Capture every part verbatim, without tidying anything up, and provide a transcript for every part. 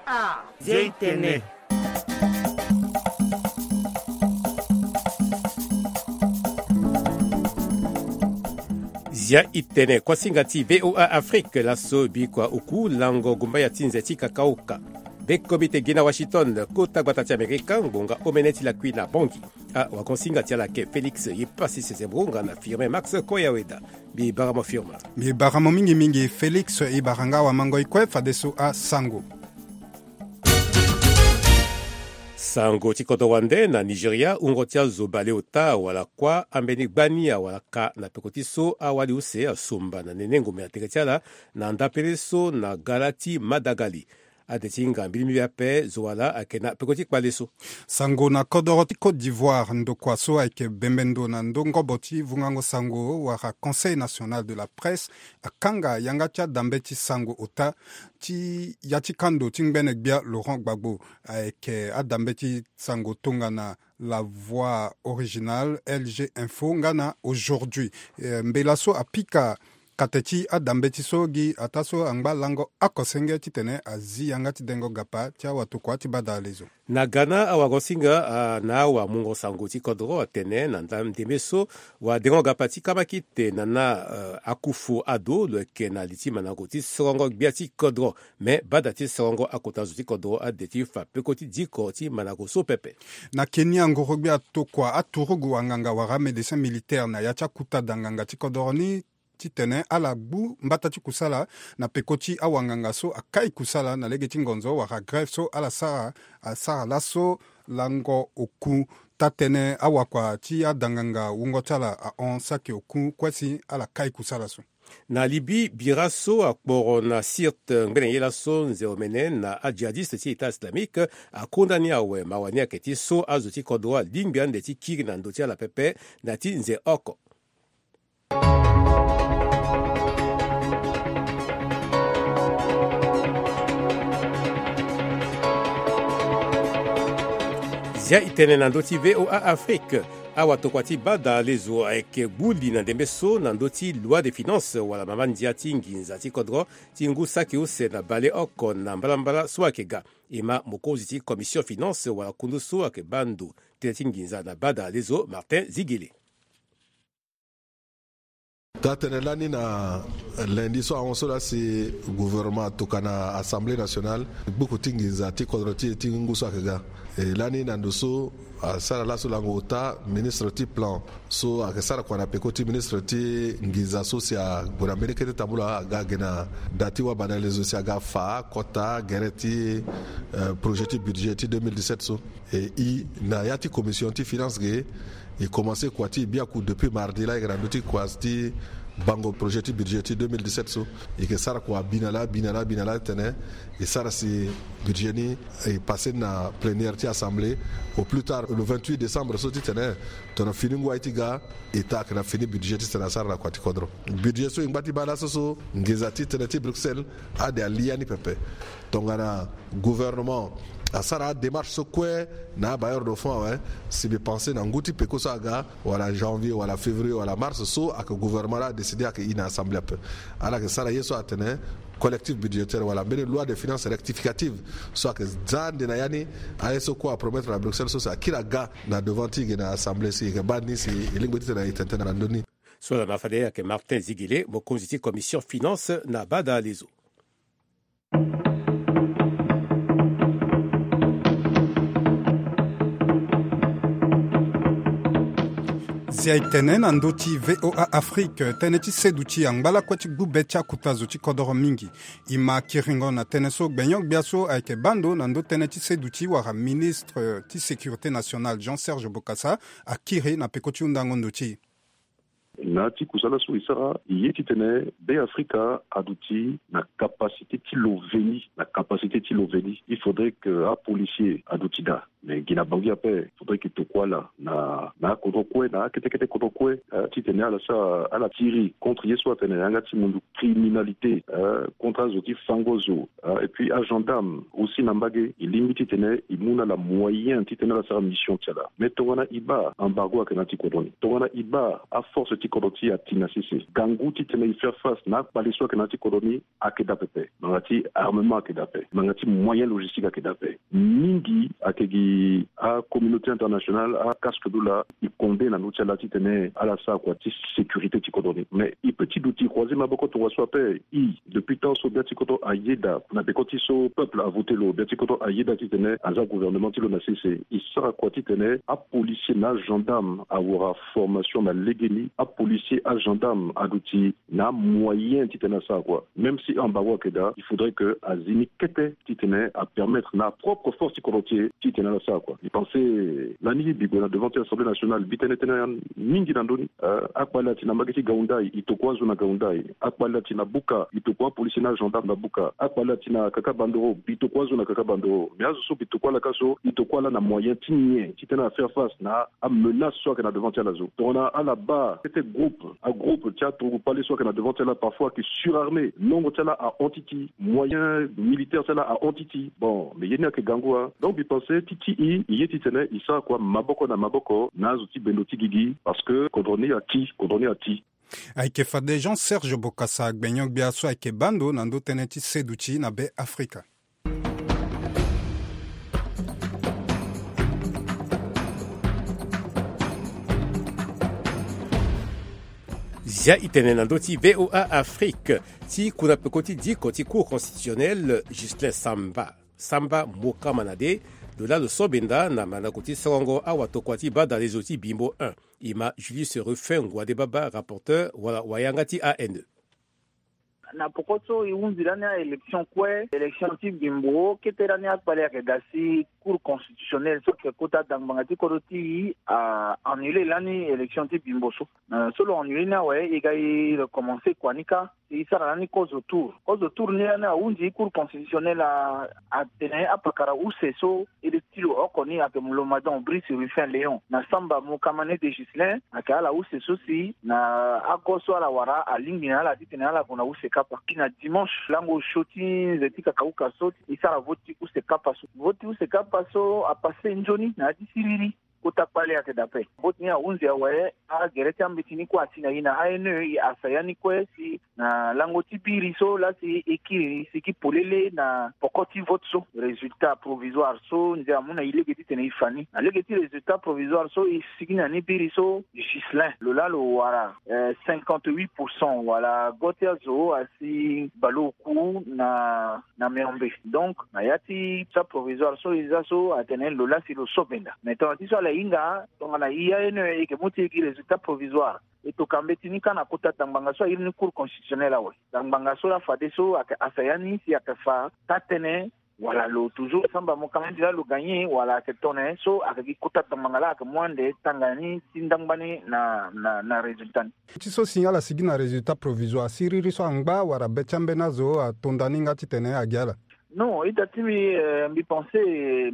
Ah, Zia Itene. Zia Itene, kuasinga ti V O A Afrique, laso bikua oku lango gumbaya ti nze ti kakaoka. Be komite gi na Washington, kota gbata ti Amerika, ngbonga omene ti lakui na Bangui. Ah, wakonsinga ti ala ayeke Félix Yepasi Sezembro nga na Firmin Max Koyaweda. Mbi bara mo Firmin. Mbi bara mo mingi mingi Félix, e bara nga wamango e kue fadeso asango. Sango ti kodro wande na Nigeria, wungo ti azo baleota wala kuâ ambeni gbani awalaka na peko ti so awali use asomba na nene ngombe na tere ti ala na ndapele so na gala ti Madagali. Ade ti hinga mbili mbi ape zo wala ayeke na peko ti kpale so. Sango na kodoro ti Côte d'Ivoire, ndokua so ayeke bembe ndo na ndongobo ti vungango sango wala Conseil National de la Presse akanga yanga ti adambe ti sango ota ti ya ti kando ti ngbene gbia Laurent Gbagbo. Ayeke adambe ti sango tongana La Voix Originale, L G Info nga na Aujourd'hui. Eh, mbela so apika kate ti adambe ti so gi ataa so angba lango oko senge titene azi yanga ti dengo gapa ti awatokua ti bada alezo. Na ga na awagosinga, ah, na awamungo sango ti kodro atene na nda ndembe so wadengo gapa ti kamakite na na, eh, akufu ado lo yeke na li ti mandango ti sorongo gbia ti kodro. Me bada ti sorongo akota zo ti kodro ade ti fa peko ti diko ti mandango so pepe. Na Kenya, ngoro gbia atokua aturugu anganga wala amédecin militaire na ya ti akuta da nganga ti kodoro ni titene ala gbu mbata ti kusala na peko ti awanganga so akai kusala na lege ti ngonzo wala grève so ala sara, asara laso lango oku. Tatene awakua ti adanganga wungo ti ala ahon saki oku kue si ala kai kusala so. Na Libye, bira so akporo na Sirte ngbene ye laso nze omene na adjihadiste ti État Islamique akonda ni awe. Mawa ni ayeke ti so azo ti kodro alingbi ande ti kiri na ndö ti ala pepe na ti nze oko. Zia itene na ndö ti V O A Afrique. Awatokua ti bada lezo ayeke gbu li na ndembe so na ndö ti loi de finance wala mama ndia ti nginza ti kodro ti ngu saki use na baleoko na mbalambala so ayeke ga. E ma mokonzi ti commission finance wala kundu so ayeke baa ndo tënë ti nginza na bada lezo Martin Zigele. Taa-tënë lani na lundi so ahon so laa si gouvernement atokua na Assemblée nationale gbuku ti nginza ti kodro ti e ti ngu so ayeke ga. E lani na ndo so asara laso lango ota ministre ti plan so ayeke sara kua na peko ti ministre ti nginza so si ague na mbeni kete tambula aga ge na da ti wabadale zo si aga fa kota gere ti, eh, projet ti budget ti deux mille dix-sept so. E i na ya ti commission ti finance ge, e commencé kua ti e biaku depuis mardi laa e yeke na ndö ti kua ti bango projet ti budget ti deux mille dix-sept so. E yeke sara kua bi na laa bi na laa bi na laa titene e sara si budget ni e passé na plénière ti assemblée au plus tard le vingt-huit décembre so titene tongana fini ngu aye ti ga e taa ayeke na fini budget titene asara na kua ti kodro. Budget so e ngba ti baa laso so nginza ti tënë ti Bruxelles ade ali ya ni pepe. Tongana gouvernement asara adémarche so kue na abailleur de fonds awe, si mbi pensé na ngu ti peko so aga wala janvier wala février wala mars so ayeke gouvernement laa adécidé ayeke i na assemblée ape. Ala yeke sara ye so atene collectif budgétaire wala mbeni loi de finance rectificative so ayeke za ande na ya ni. Aye so kue apromettre na Bruxelles so si akiri aga na devant ti e ge na assemblée si e yeke baa ni si e lingbi titene e tene tënë na ndö ni. So ala ma fade ayeke Martin Zigele, mokonzi ti commission finance na bada lezo. Zia e tene na ndö ti V O A Afrique, tënë ti seduti angba lakue ti gbu be ti akuta zo ti kodoro mingi. E ma kiringo na tënë so gbenyo-gbia so ayeke baa ndo na ndö tënë ti seduti wala ministre ti sécurité nationale Jean Serge Bokassa akiri na peko ti hundango ndo ti e. Na ya ti kusala so e sara, e ye titene Be Afrika aduti na capacité ti lo veni, na capacité ti lo veni. Il faudrait que apolicier aduti daa. Mais gi na Bangui ape, faudrait que e tokua ala na, na akodro kue, na akete kete kodro kue, eh, titene ala sara, ala tiri contre ye so atene yanga ti mundu criminalité, eh, contre azo ti fango zo, eh, et puis agendarme aussi na mbage, e lingbi titene e mu na ala moyen titene ala sara mission ti ala. Mais tongana e baa embargo ayeke na ya ti kodro ni, tongana e baa aforce ti kodro ti e ati na sese. Gangu titene e faire face na akpale so ayeke na ya ti kodro ni ayeke daa pepe. Ngbanga ti armement ayeke daa pepe, ngbanga ti moyen logistique ayeke daa pepe. Mingi ayeke gi acommunauté internationale, acasque du la, e condé na ndö ti ala titene ala sara kua ti sécurité ti kodro ni. Mais e peut ti duti croiser maboko tongana so ape. E, depuis temps so bia ti kodro ayeda na peko ti so peuple avoté lo, bia ti kodro ayeda titene aza gouvernement ti lo na sese. E sara kua titene apolicier na agendarme awara formation na legeni, apolicier, agendarme aduti na amoyen titene asara kua. Même si embargo ayeke daa, il faudrait que azi ni kete titene apermettre na apropre force ti kodro ti e titene ala sara kua. E pense lani mbi gue na devant ti Assemblée nationale, mbi tene tënë mingi na ndö ni. Euh, akpale ati na mbage ti Gaoundai, e tokua azo na Gaoundai. Akpale ati na Buka, e tokua apolicier na agendarme na Buka. Akpale ati na Kakabandoro, mbi tokua azo na Kakabandoro. Mais azo so mbi tokua ala ka so, e tokua ala na moyen ti nyen titene afaire face na amenace so ayeke na devant ti ala so. Tongana ala baa kete groupe, agroupe ti aturugu kpale so ayeke na devant ti ala, parfois ayeke surarmé, nongo ti ala ahon ti ti, moyen militaire ti ala ahon ti ti. Bon, mais ye ni ayeke gangu wa. Donc mbi pense ti ti e, e ye titene e sara kua maboko na maboko na azo ti bendo ti gigi, parce que kodro ni ati, kodro ni ati. Ayeke fade Jean Serge Bokassa, gbenyo-gbia so ayeke baa ndo na ndö tënë ti seduti na Be Afrika. Zia e tene na ndö ti V O A Afrique ti kuna peko ti diko ti Cour constitutionnelle, Ghislain Samba, Samba Mokamanade, lo laa lo so benda na mandako ti sorongo awatokua ti badalezo ti Bimbo un. E ma Julius Ruffin Ngouade Baba, rapporteur wala wayanga ti A N E. Na poko so e hunzi lani a-élection kue, élection ti Bimbo, kete lani akpale ayeke daa si Cour constitutionnelle so ayeke kota dangbanga ti kodro ti e a annulé lani élection ti Bimbo so. Na so lo annulé ni awe, e ga e recommencé kua ni kâ, e sara lani kozo tour. Kozo tour ni lani ahunzi Cour constitutionnelle a, atene apakara use so e le ti lo oko ni ayeke Mulomadan Brice Ruffin Léon na Samba Mokamanade Ghislain, ayeke ala use so si na ago so ala wara alingbi na ala titene ala gue na use kapa. Ti na dimanche lango osio ti nze ti kakauka so, e sara vote ti use kapa so. Vote ti use kapa so apassé nzoni na ya ti siriri. Kota kpale ayeke daa ape. Vote ni ahunzi awe, agere ti ambeti ni kue ati na e na A N E, e hasa ya ni kue si na lango ti biri so laa si e kiri e sigi polele na poko ti vote so. Résultat provisoire so nze amu na e lege titene e fa ni. Na lege ti résultat provisoire so e sigi na ni biri so, Ghislain, lo laa lo wara, eh, cinquante-huit pour cent, wala go ti azo asi bale oku na na Meombe. Donc na ya ti sa provisoire so e za so atene lo laa si lo so benda. Mais tongana ti so ala hinga, tongana e A N E e yeke mu ti e gi résultat provisoire, e toka mbeti ni kâ na kota dangbanga so a iri ni Cour constitutionnelle awe. Dangbanga so laa fadeso ayeke hasa ya ni si ayeke fa taa-tënë, wala lo toujours Samba Mokamanade laa lo gagné, wala ayeke tongana nyen. So ayeke gi kota dangbanga laa ayeke mu ande tanga ni ti ndangbani na, na, na résultat ni. Ti so si ala sigi na résultat provisoire, siriri so angba wala be ti ambeni azo atonda ni nga titene agi ala? Non, ita ti mbi, eh, mbi pensé, eh,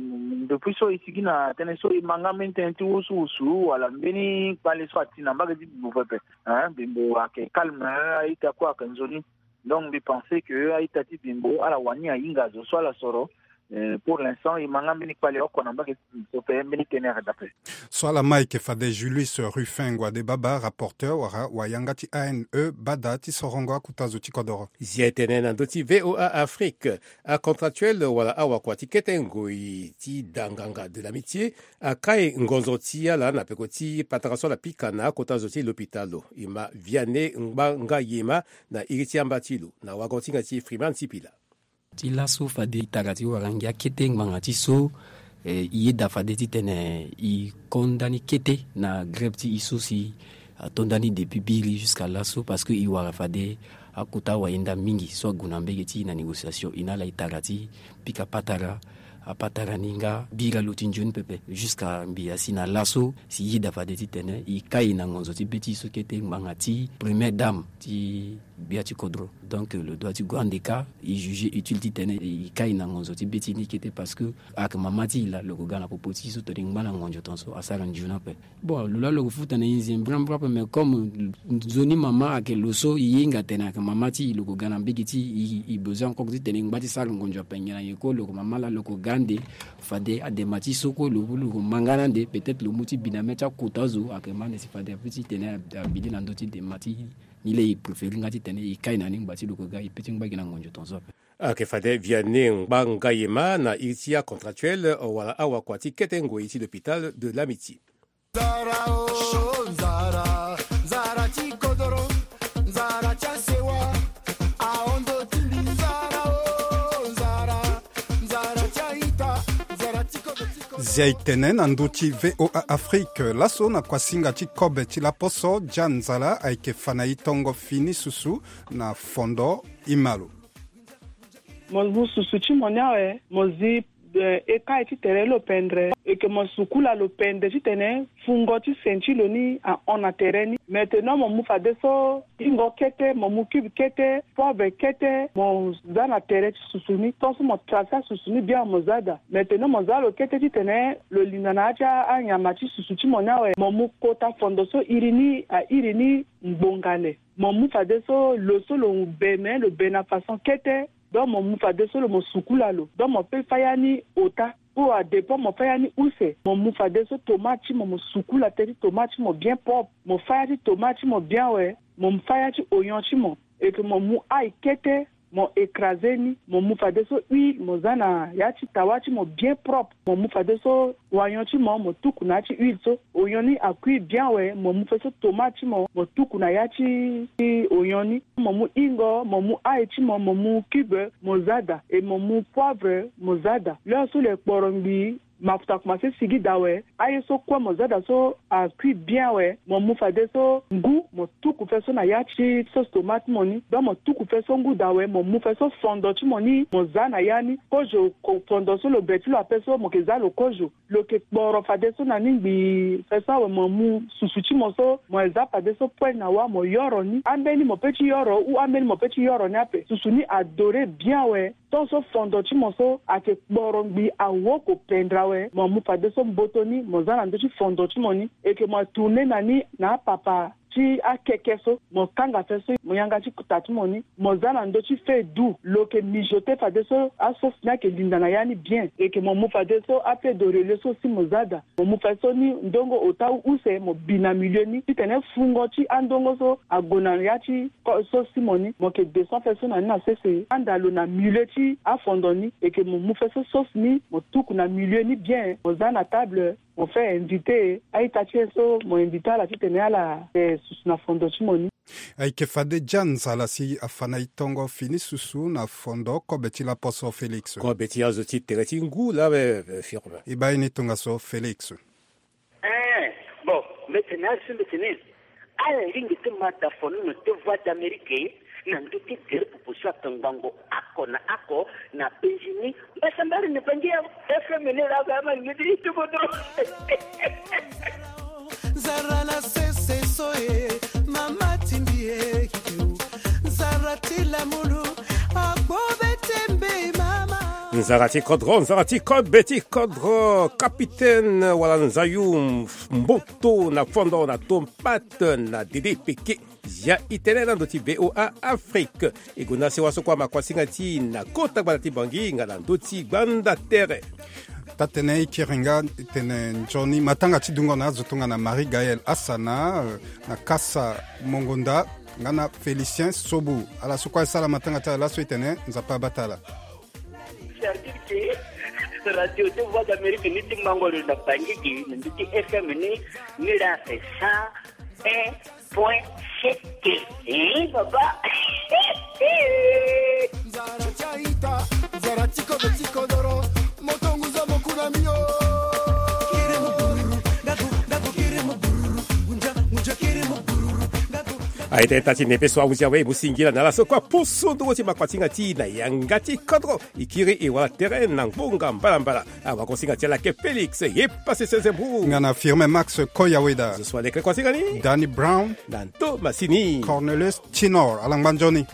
depuis so e sigi na tënë so e ma nga mbeni tënë ti wusuwusu wala mbeni kpale so ati na mbage ti Bimbo pepe. Hein, Bimbo ayeke calme, eh, a-ita kue ayeke nzoni. Donc mbi pensé que a-ita ti Bimbo ala wani ahinga azo so ala soro. Eh, pour l'instant e ma nga mbeni kpale oko na mbage ti Bimbo pepe, mbeni tënë ayeke daa ape. So ala ma ayeke fade Julius Ruffin Ngouade Baba, rapporteur wala wayanga ti A N E, bada ti sorongo akota zo ti kodoro. Zia e tene na ndö ti V O A Afrique. Acontractuel wala awakua ti kete ngoi ti danganga de l'amitié akai ngonzo ti ala na peko ti patara so ala pika na akota zo ti lopitalo. E ma Vianney Ngbanga Yema na iri ti amba ti lo na wago ti hinga ti Freeman Sipila. Ti laso fade e tara ti wara ngia kete ngbanga ti so, eh, e yeda fade titene e konda ni kete na grève ti e so si atonda ni depuis biri jusqu'à laso, parce que e wara fade akota wayenda mingi so ague na mbege ti e na négociation. E na ala e tara ti pika patara, apatara ni nga bira lo ti nzoni pepe. Jusqu'à mbi asi na laso si e yeda fade titene e kai na ngonzo ti be ti e so kete ngbanga ti première dame ti Gbia ti kodro. Donc lo doit ti gue ande ka, e juger utile titene e kai na ngonzo ti be ti ni kete, parce que ayeke mama ti e laa lo ko ga na popo ti e so tongana e ngba na ngonzo tongaso asara nzoni ape. Bon, lo laa lo ko futa na e nze mbrambra ape, mais comme nzoni mama ayeke lo so e hinga atene ayeke mama ti e, lo ko ga na mbege ti e, e besoin encore titene e ngba ti sara ngonzo ape nyen na nyen kue, lo ko mama laa lo ko ga ande. Fade adema ti e so kue lo, lo ko ma nga na ande, peut-être lo mu ti bi na mê ti akota zo, ayeke ma ande si fade ape titene abi li na ndö ti dema ti e. Ni laa e préféré nga titene e kai na ni ngba ti lo ko ga e pe ti ngba gi na ngonzo tongaso ape. Ayeke fade Vianney Ngbangayema na iri ti acontractuel wala awakua ti kete ngoi ti l'hôpital de l'Amitié. Nzara o, nzara, nzara ti kodoro, nzara ti asewa, ahondo ti mbi, nzara o, nzara, nzara ti aita, nzara ti kodoro ti kodoro. Zia e tene na ndö ti V O A Afrique laso na kuasinga ti kobe ti laposo, Jean Nzala ayeke fa na e tongo fini susu na fondo Imalo. Mo mu susu ti mo ni awe, mo zi, eh, e kai ti tere lo pendre. E yeke mo sukula lo pendre titene fungo ti sen ti lo ni ahon na tere ni. Maintenant mo mu fadeso ingo kete, mo mu cube kete, poivre kete, mo za na tere ti susu ni. Tant so mo tracer asusu ni bien, mo za daa. Maintenant mo za lo kete titene lo linda na ya ti anyama ti susu ti mo ni awe, mo mu kota fondo so iri ni airi ni ngbonga le. Mo mu fadeso lo so lo be, me lo be na façon kete. Donc mo mu fadeso lo mo sukula lo. Donc mo peut fâ ya ni ota, ou à dépend mo fâ ya ni use. Mo mu fadeso tomate ti mo, mo sukula teti tomate ti mo bien propre. Mo fâ ya ti tomate ti mo bien awe. Mo mu fâ ya ti oignon ti mo. Et que mo mu ail kete, mo écraser ni, mo mu fadeso huile, mo za na ya ti tawa ti mo bien propre. Mo mu fadeso oignon ti mo, mo tuku na ya ti huile so. Oignon ni a cuit bien awe, mo mu fadeso tomate ti mo, mo tuku na ya ti, ti oignon ni. Mo mu ingo, mo mu ail ti mo, mo mu cube, mo za daa. Et mo mu poivre, mo za daa. L'heure so le kporo ngbii, mafuta akomanse sigi daa awe, aye so kue mo za daa so a cuit bien awe, mo mu fadeso ngu, mo tuku fadeso na ya ti sauce tomate ti mo ni. Donc mo tuku fadeso ngu daa awe, mo mu fadeso fondo ti mo ni, mo za na ya ni. Kozo, ko-, fondo so lo be ti lo ape so, mo yeke za lo kozo. Lo yeke kporo fadeso na ni ngbii. Fadeso awe mo mu susu ti mo so, mo za fadeso poêle na wâ, mo yoro ni. Ambeni mo peut ti yoro, ou ambeni mo peut ti yoro ni ape. Susu ni a dorer bien awe. Tant so fondo ti mo so ayeke kporo ngbii, awoko pendre awe, mo mu fadeso mboto ni, mo za na ndö ti fondo ti mo ni. E yeke mo tourner na ni na apapa ti akeke so, mo kanga fadeso mo yanga ti kota ti mo ni, mo za na ndö ti feu doux. Lo yeke mijoter fadeso asauce ni ayeke linda na ya ni bien. E yeke mo mu fadeso apied de relais so si mo za daa. Mo mu fadeso ni ndongo ota ou use, mo bi na milieu ni titene fungo ti andongo so ague na ya ti ko-, sauce ti mo ni. Mo yeke descend fadeso na ni na sese, anda lo na milieu ti afondo ni. E yeke mo mu fadeso sauce ni, mo tuku na milieu ni bien, mo za na table, mo fait inviter a-ita ti e so, mo inviter ala titene ala, eh, susu na fondo ti mo ni. Ayeke fade Jean Nzala si afa na e tongo fini susu na fondo kobe ti laposo Félix. Kobe ti azo ti tere ti ngu laa, eh, firme. E baa ye ni tongaso Félix. Eh, bon, mbeti na azo ti mbeti ni. Ala lingbi ti ma da fono na te Voix d'Amérique na ndö ti tere popo so atongbango oko na oko na penzi ni. Mbasambari ni bangi ya F M ni laa ba ma ngidi ti kodro. Nzara na sese so e, mama ti mbi e, nzara ti lamulu, agbo be ti mbi mama. Nzara ti kodro, nzara ti kobe ti kodro, capitaine wala nzayu mboto na fondo na tompate na dede peke. Zia e tene na ndö ti V O A Afrique. E gonda sewa so kue ama kuasinga ti e na kota gbanda ti Bangui nga na ndö ti gbanda tere. Taa-tënë e kiri nga tene nzoni matanga ti dungo na azo tongana Marie Gaëlle Asana, eh, na Kasa Mongonda, nga na Félicien Sobu. Ala so kue asara matanga ti ala laso e tene Nzapa abata ala. C'est-à-dire que radio ti Voix d'Amérique ni ti mango lo na Bangui gi, na ndö ti F M ni, ni la c'est cent un point sept. Eh, papa. Nzara ti aita, nzara ti kobe ti kodoro, moto nguza mo kuna mio. Aita eta ti nepe so ahuzi awe mo singila na ala so kua poso ndongo ti makuatinga ti na yanga ti kodro. E kiri e wara tere na ngbonga mbalambala. Awakosinga ti ala ke Félix ye pase sese bru. Nga na Firmin Max Koyaweda. Zo so alekre kuasinga ni Danny Brown. Na nto masini Cornelius Tinor alangba nzoni.